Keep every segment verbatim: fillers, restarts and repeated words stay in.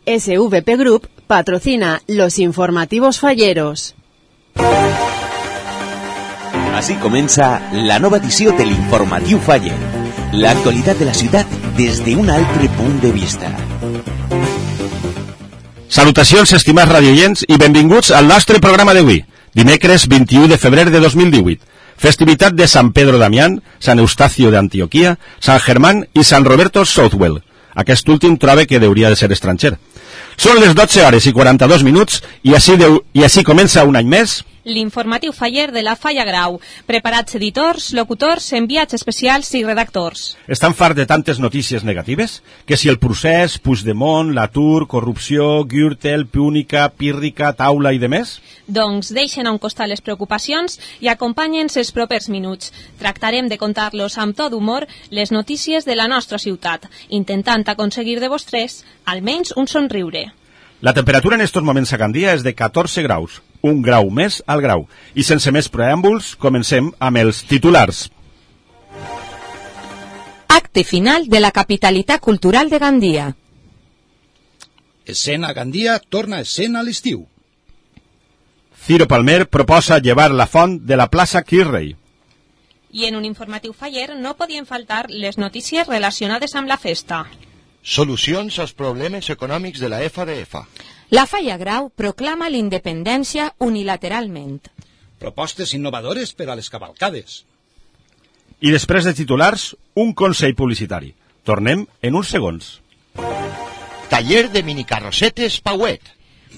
S V P Group patrocina los informativos falleros. Així comença la nova edició de l'Informatiu Faller. L'actualitat de la ciutat des d'un altre punt de vista. Salutacions, estimats radioients, i benvinguts al nostre programa d'avui, dimecres vint-i-u de febrer de dos mil divuit. Festivitat de Sant Pedro Damián, Sant Eustacio d'Antioquia, Sant Germán i Sant Roberto Southwell. Aquest últim troba que hauria de ser estranger. Són les dotze hores i quaranta-dos minuts i així, deu, i així comença un any més l'informatiu faller de la Falla Grau. Preparats editors, locutors, enviats especials i redactors. Estan farts de tantes notícies negatives? Que si el procés, Puigdemont, l'atur, corrupció, Gürtel, Púnica, Pírrica, Taula i demés? Doncs deixen a un costat les preocupacions i acompanyen-se els propers minuts. Tractarem de contar-los amb tot humor les notícies de la nostra ciutat, intentant aconseguir de vostres almenys un somriure. La temperatura en estos moments a Gandia és de catorze graus, un grau més al grau. I sense més preàmbuls, comencem amb els titulars. Acte final de la capitalitat cultural de Gandia. Escena Gandia torna a escena a l'estiu. Ciro Palmer proposa llevar la font de la plaça Kirrey. I en un informatiu faller no podien faltar les notícies relacionades amb la festa. Solucions als problemes econòmics de la F D F. La Falla Grau proclama l'independència unilateralment. Propostes innovadores per a les cavalcades. I després de titulars, un consell publicitari. Tornem en uns segons. Taller de minicarrosetes Pauet.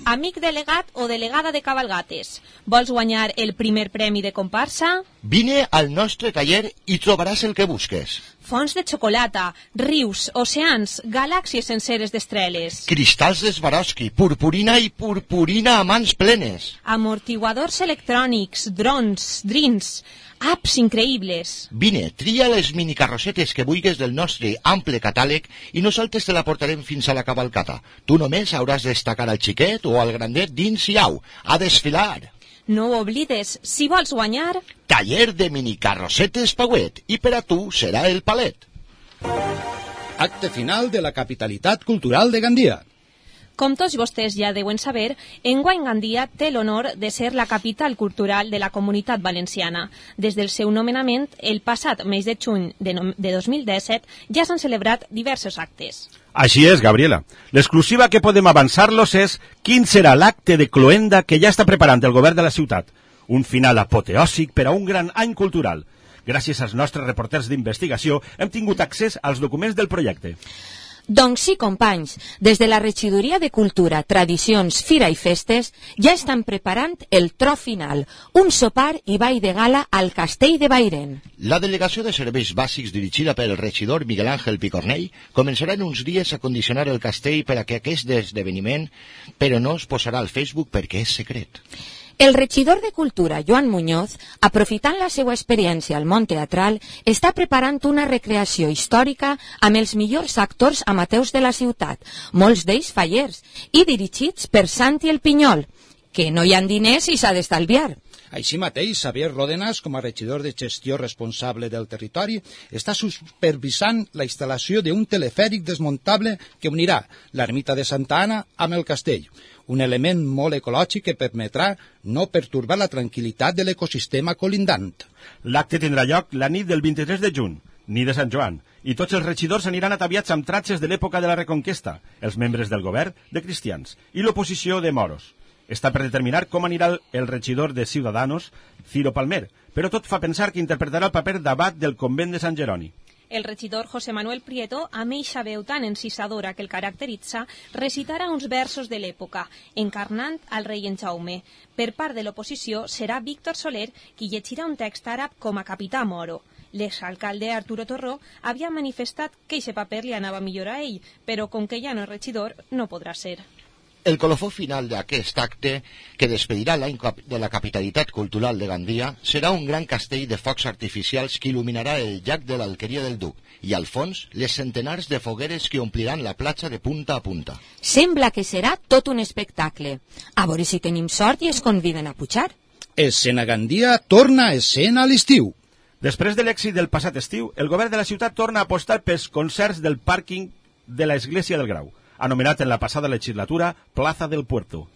Amic delegat o delegada de cavalgates, vols guanyar el primer premi de comparsa? Vine al nostre taller i trobaràs el que busques. Fons de xocolata, rius, oceans, galàxies senceres d'estreles. Cristalls de Swarovski, purpurina i purpurina a mans plenes. Amortiguadors electrònics, drons, drins, apps increïbles. Vine, tria les minicarrosetes que vulguis del nostre ample catàleg i nosaltres te la portarem fins a la cavalcata. Tu només hauràs de destacar al xiquet o al grandet dins i au, a desfilar. No ho oblides, si vols guanyar... Taller de minicarrosetes Pauet, i per a tu serà el palet. Acte final de la capitalitat cultural de Gandia. Com tots vostès ja deuen saber, enguany Gandia té l'honor de ser la capital cultural de la Comunitat Valenciana. Des del seu nomenament, el passat mes de juny de, no, de dos mil disset, ja s'han celebrat diversos actes. Així és, Gabriela. L'exclusiva que podem avançar-los és quin serà l'acte de cloenda que ja està preparant el govern de la ciutat. Un final apoteòsic per a un gran any cultural. Gràcies als nostres reporters d'investigació hem tingut accés als documents del projecte. Doncs sí, companys, des de la Regidoria de Cultura, Tradicions, Fira i Festes ja estan preparant el tro final, un sopar i ball de gala al Castell de Bairen. La Delegació de Serveis Bàsics dirigida pel regidor Miguel Ángel Picornell començarà en uns dies a condicionar el castell per a que aquest esdeveniment, però no es posarà al Facebook perquè és secret. El regidor de Cultura, Joan Muñoz, aprofitant la seva experiència al món teatral, està preparant una recreació històrica amb els millors actors amateurs de la ciutat, molts d'ells fallers, i dirigits per Santi el Pinyol, que no hi ha diners i s'ha d'estalviar. Així mateix, Xavier Ródenas, com a regidor de gestió responsable del territori, està supervisant la instal·lació d'un telefèric desmuntable que unirà l'ermita de Santa Anna amb el castell, un element molt ecològic que permetrà no pertorbar la tranquil·litat de l'ecosistema colindant. L'acte tindrà lloc la nit del vint-i-tres de juny, nit de Sant Joan, i tots els regidors aniran ataviats amb tratges de l'època de la Reconquesta, els membres del govern de cristians i l'oposició de moros. Està per determinar com anirà el regidor de Ciudadanos, Ciro Palmer, però tot fa pensar que interpretarà el paper d'abat del convent de Sant Jeroni. El regidor José Manuel Prieto, amb eixa veu tan encisadora que el caracteritza, recitarà uns versos de l'època, encarnant al rei en Jaume. Per part de l'oposició serà Víctor Soler qui llegirà un text àrab com a capità moro. L'exalcalde Arturo Torró havia manifestat que aquest paper li anava millor a ell, però com que ja no és regidor, no podrà ser. El colofó final d'aquest acte, que despedirà l'any de la capitalitat cultural de Gandia, serà un gran castell de focs artificials que il·luminarà el llac de l'Alqueria del Duc i, al fons, les centenars de fogueres que ompliran la platja de punta a punta. Sembla que serà tot un espectacle. A veure si tenim sort i es conviden a pujar. Escena Gandia torna a escena a l'estiu. Després de l'èxit del passat estiu, el govern de la ciutat torna a apostar pels concerts del pàrquing de l'església del Grau. anomenat en la passada legislatura Plaza del Puerto.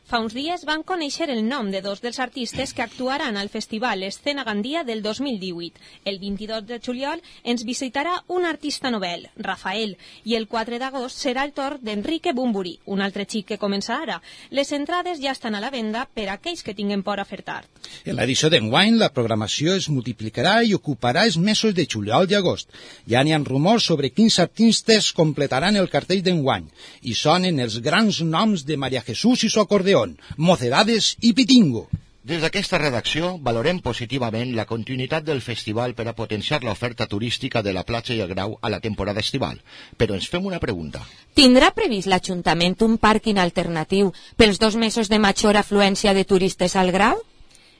Fa uns dies van conèixer el nom de dos dels artistes que actuaran al Festival Escena Gandia del dos mil divuit. El vint-i-dos de juliol ens visitarà un artista novel, Rafael, i el quatre d'agost serà el torn d'Enrique Bumburi, un altre xic que comença ara. Les entrades ja estan a la venda per a aquells que tinguen por a fer tard. En l'edició d'enguany, la programació es multiplicarà i ocuparà els mesos de juliol i agost. Ja n'hi ha rumors sobre quins artistes completaran el cartell d'enguany, i sonen els grans noms de María Jesús i su acordeó, Mocedades i Pitingo. Des d'aquesta redacció valorem positivament la continuïtat del festival per a potenciar l'oferta turística de la platja i el Grau a la temporada estival. Però ens fem una pregunta. Tindrà previst l'Ajuntament un pàrquing alternatiu pels dos mesos de major afluència de turistes al Grau?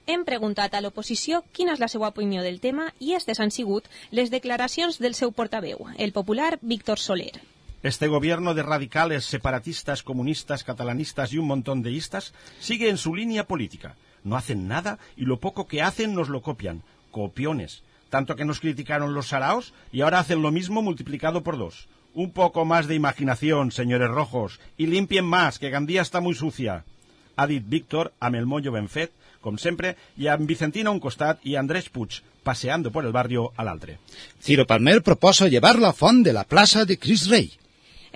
Hem preguntat a l'oposició quina és la seva opinió del tema i aquestes han sigut les declaracions del seu portaveu, el popular Víctor Soler. Este gobierno de radicales, separatistas, comunistas, catalanistas y un montón de istas sigue en su línea política. No hacen nada y lo poco que hacen nos lo copian. Copiones. Tanto que nos criticaron los saraos y ahora hacen lo mismo multiplicado por dos. Un poco más de imaginación, señores rojos, y limpien más, que Gandía está muy sucia. Ha dit Víctor amb el mollo ben fet, com sempre, i amb Vicentina a un costat i Andrés Puig paseando por el barrio a l'altre. Ciro Palmer proposa llevar la font de la plaça de Cris Rei.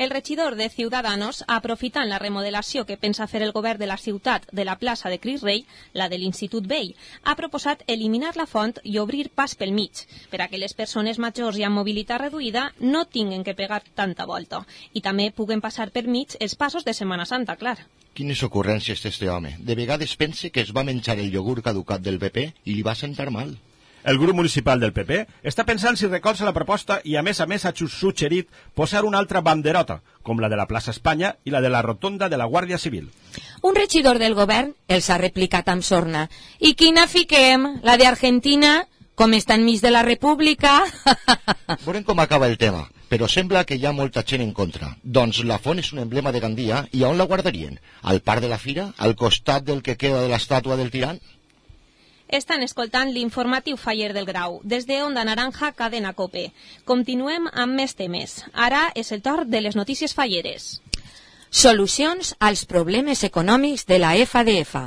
El regidor de Ciudadanos, aprofitant la remodelació que pensa fer el govern de la ciutat de la plaça de Cris Rei, la de l'Institut Vell, ha proposat eliminar la font i obrir pas pel mig, per a que les persones majors i amb mobilitat reduïda no tinguen que pegar tanta volta, i també puguen passar per mig els passos de Setmana Santa, clar. Quines ocurrències té este home. De vegades pense que es va menjar el iogurt caducat del P P i li va sentar mal. El grup municipal del P P està pensant si recolza la proposta i a més a més ha suggerit posar una altra banderota, com la de la plaça Espanya i la de la rotonda de la Guàrdia Civil. Un regidor del govern els ha replicat amb sorna. I quina fiquem? La d'Argentina? Com està enmig de la República? Veurem com acaba el tema, però sembla que hi ha molta gent en contra. Doncs la font és un emblema de Gandia i on la guardarien? Al parc de la Fira? Al costat del que queda de l'estàtua del tirant? Estan escoltant l'informatiu Faller del Grau, des de Onda Naranja, Cadena Cope. Continuem amb més temes. Ara és el torn de les notícies falleres. Solucions als problemes econòmics de la F D F.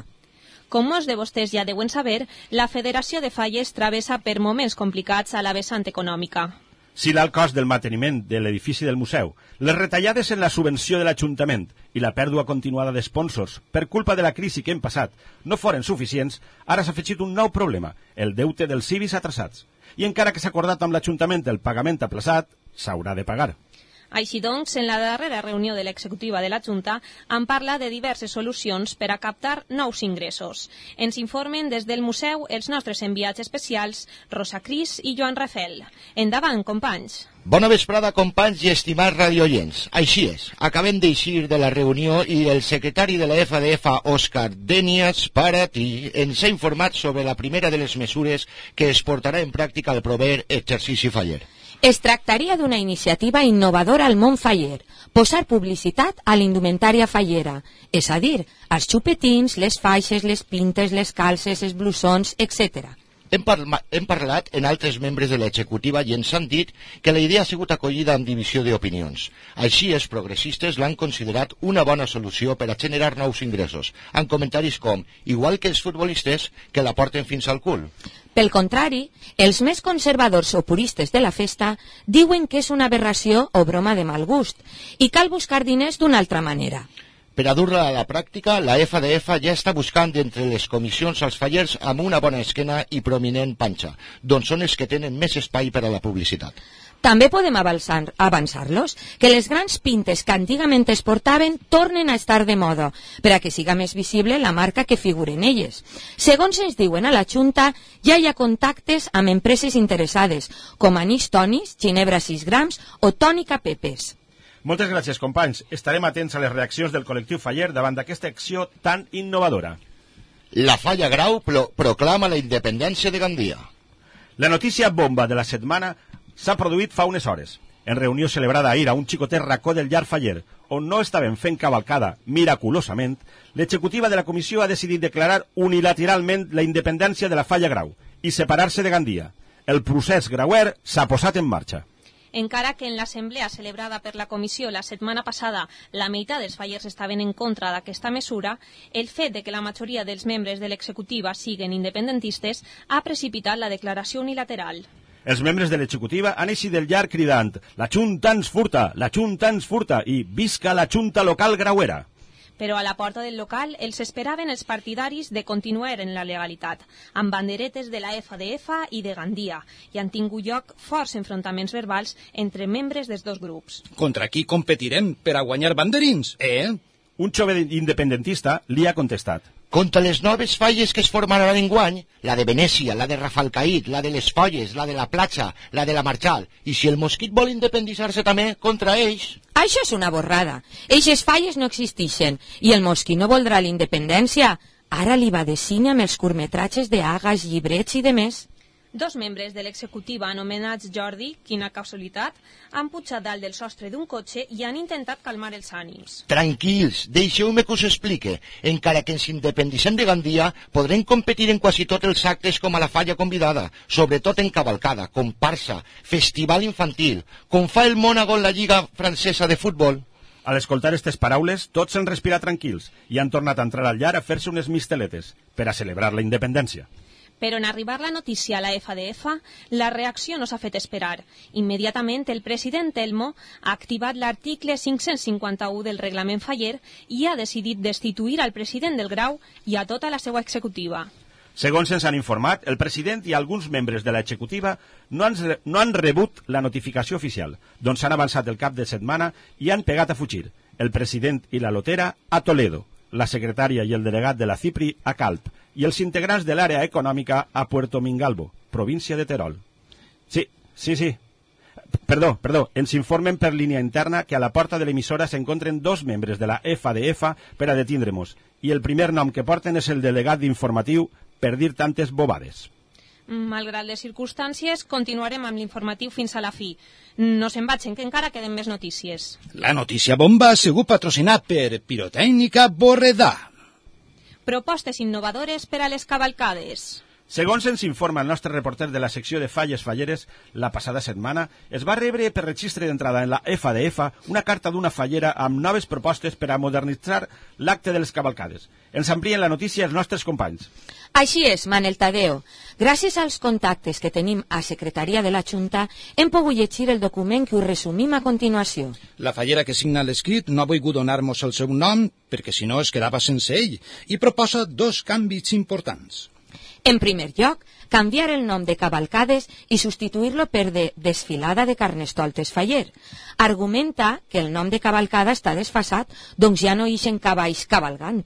Com molts de vostès ja deuen saber, la Federació de Falles travessa per moments complicats a la vessant econòmica. Si l'alt cost del manteniment de l'edifici del museu, les retallades en la subvenció de l'Ajuntament i la pèrdua continuada d'esponsors per culpa de la crisi que hem passat no foren suficients, ara s'ha afegit un nou problema, el deute dels civis atrasats. I encara que s'ha acordat amb l'Ajuntament el pagament aplaçat, s'haurà de pagar. Així doncs, en la darrera reunió de l'executiva de la Junta han parlat de diverses solucions per a captar nous ingressos. Ens informen des del museu els nostres enviats especials, Rosa Cris i Joan Rafel. Endavant, companys. Bona vesprada, companys i estimats radioients. Així és, acabem d'eixir de la reunió i el secretari de la F D F, Òscar Denias Paratí, ens ha informat sobre la primera de les mesures que es portarà en pràctica el proper exercici faller. Es tractaria d'una iniciativa innovadora al món faller, posar publicitat a l'indumentària fallera, és a dir, als xupetins, les faixes, les pintes, les calces, els blusons, etcètera. Hem, parla hem parlat en altres membres de l'executiva i ens han dit que la idea ha sigut acollida amb divisió d'opinions. Així, els progressistes l'han considerat una bona solució per a generar nous ingressos, amb comentaris com, igual que els futbolistes, que la porten fins al cul. Pel contrari, els més conservadors o puristes de la festa diuen que és una aberració o broma de mal gust i cal buscar diners d'una altra manera. Per a dur-la a la pràctica, la F D F ja està buscant d'entre les comissions als fallers amb una bona esquena i prominent panxa, doncs són els que tenen més espai per a la publicitat. També podem avançar-los que les grans pintes que antigament es portaven tornen a estar de moda, per a que siga més visible la marca que figuren elles. Segons ens diuen a la Junta, ja hi ha contactes amb empreses interessades, com Anís Tonis, Ginebra sis grams o Tònica Pepes. Moltes gràcies, companys. Estarem atents a les reaccions del col·lectiu faller davant d'aquesta acció tan innovadora. La Falla Grau pro proclama la independència de Gandia. La notícia bomba de la setmana s'ha produït fa unes hores. En reunió celebrada ahir a un xicotet racó del llar faller, on no estaven fent cavalcada miraculosament, l'executiva de la comissió ha decidit declarar unilateralment la independència de la Falla Grau i separar-se de Gandia. El procés grauer s'ha posat en marxa. Encara que en l'assemblea celebrada per la comissió la setmana passada la meitat dels fallers estaven en contra d'aquesta mesura, el fet de que la majoria dels membres de l'executiva siguen independentistes ha precipitat la declaració unilateral. Els membres de l'executiva han eixit del llarg cridant «La Junta ens furta! La Junta ens furta!» i «Visca la Junta local grauera!». Però a la porta del local els esperaven els partidaris de continuar en la legalitat, amb banderetes de la F D F i de Gandia, i han tingut lloc forts enfrontaments verbals entre membres dels dos grups. Contra qui competirem per a guanyar banderins, eh? Un jove independentista li ha contestat. Contra les noves falles que es formaran enguany, la de Venècia, la de Rafalcaït, la de les Folles, la de la Platja, la de la Marchal, i si el Mosquit vol independitzar-se també, contra ells. Això és una borrada. Eixes falles no existeixen i el Mosquit no voldrà la independència. Ara li va de cine amb els curtmetratges d'Agas, llibrets i de més. Dos membres de l'executiva anomenats Jordi, quina casualitat, han pujat dalt del sostre d'un cotxe i han intentat calmar els ànims. Tranquils, deixeu-me que us explique. Encara que ens independitzem de Gandia, podrem competir en quasi tots els actes com a la falla convidada, sobretot en cavalcada, comparsa, festival infantil, com fa el Mònaco en la Lliga Francesa de Futbol. Al escoltar aquestes paraules, tots s'han respirat tranquils i han tornat a entrar al llar a fer-se unes misteletes per a celebrar la independència. Però en arribar la notícia a la F D F, la reacció no s'ha fet esperar. Immediatament, el president Telmo ha activat l'article cinc-cents cinquanta-u del reglament faller i ha decidit destituir al president del Grau i a tota la seva executiva. Segons ens han informat, el president i alguns membres de l'executiva no han, no han rebut la notificació oficial, doncs han avançat el cap de setmana i han pegat a fugir. El president i la lotera a Toledo, la secretària i el delegat de la Cipri a Calp, i els integrants de l'àrea econòmica a Puerto Mingalvo, província de Terol. Sí, sí, sí. Perdó, perdó, ens informen per línia interna que a la porta de l'emissora s'encontren dos membres de la F D F per a detindre-nos, i el primer nom que porten és el delegat d'informatiu per dir tantes bobades. Malgrat les circumstàncies, continuarem amb l'informatiu fins a la fi. No se'n vagin, que encara queden més notícies. La notícia bomba ha sigut patrocinat per Pirotècnica Borredà. Propostes innovadores per a les cavalcades. Segons ens informa el nostre reporter de la secció de falles falleres, la passada setmana es va rebre per registre d'entrada en la F D F una carta d'una fallera amb noves propostes per a modernitzar l'acte de les cavalcades. Ens amplien la notícia els nostres companys. Així és, Manel Tadeo. Gràcies als contactes que tenim a Secretaria de la Junta, hem pogut llegir el document que us resumim a continuació. La fallera que signa l'escrit no ha volgut donar-nos el seu nom, perquè si no es quedava sense ell, i proposa dos canvis importants. En primer lloc, canviar el nom de cavalcades i substituir-lo per de desfilada de carnestoltes faller. Argumenta que el nom de cavalcada està desfasat, doncs ja no ixen cavalls cavalgant.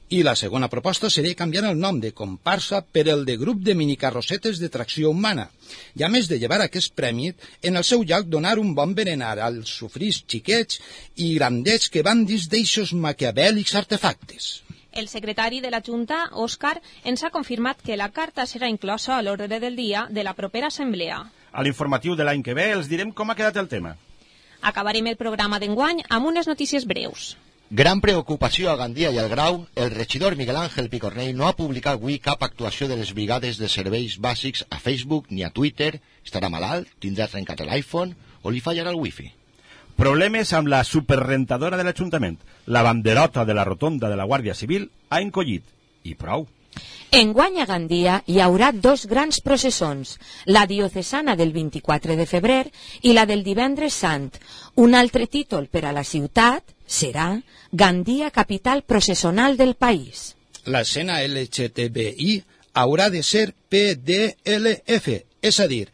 I la segona proposta seria canviar el nom de comparsa per el de grup de minicarrossetes de tracció humana, i a més de llevar aquest premi, en el seu lloc donar un bon berenar als sofrits xiquets i grandets que van dins d'eixos maquiavèlics artefactes. El secretari de la Junta, Òscar, ens ha confirmat que la carta serà inclosa a l'ordre del dia de la propera assemblea. A l'informatiu de l'any que ve els direm com ha quedat el tema. Acabarem el programa d'enguany amb unes notícies breus. Gran preocupació a Gandia i al Grau, el regidor Miguel Ángel Picornell no ha publicat avui cap actuació de les brigades de serveis bàsics a Facebook ni a Twitter. Estarà malalt, tindrà trencat l'iPhone o li fallarà el wifi. Problemes amb la superrentadora de l'Ajuntament. La banderota de la rotonda de la Guàrdia Civil ha encollit. I prou. Enguany a Gandia hi haurà dos grans processons, la diocesana del vint-i-quatre de febrer i la del divendres sant. Un altre títol per a la ciutat serà Gandia, capital processonal del país. L'escena L G T B I haurà de ser P D L F, és a dir,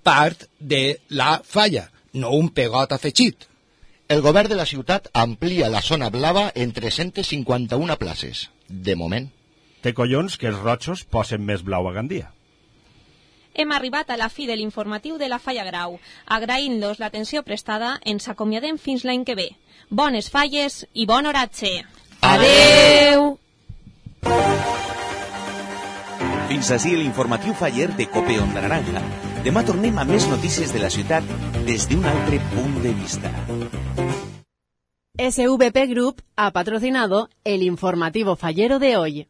part de la falla, no un pegot afegit. El govern de la ciutat amplia la zona blava en tres-centes cinquanta-una places, de moment. Té collons que els rojos posen més blau a Gandia. Hem arribat a la fi de l'informatiu de la Falla Grau. Agraint-los l'atenció prestada, ens acomiadem fins l'any que ve. Bones falles i bon oratge. Adeu! Fins ací l'informatiu faller de Cope Onda Naranja. Demà tornem a més notícies de la ciutat des d'un altre punt de vista. S V P Group ha patrocinado el informativo fallero de hoy.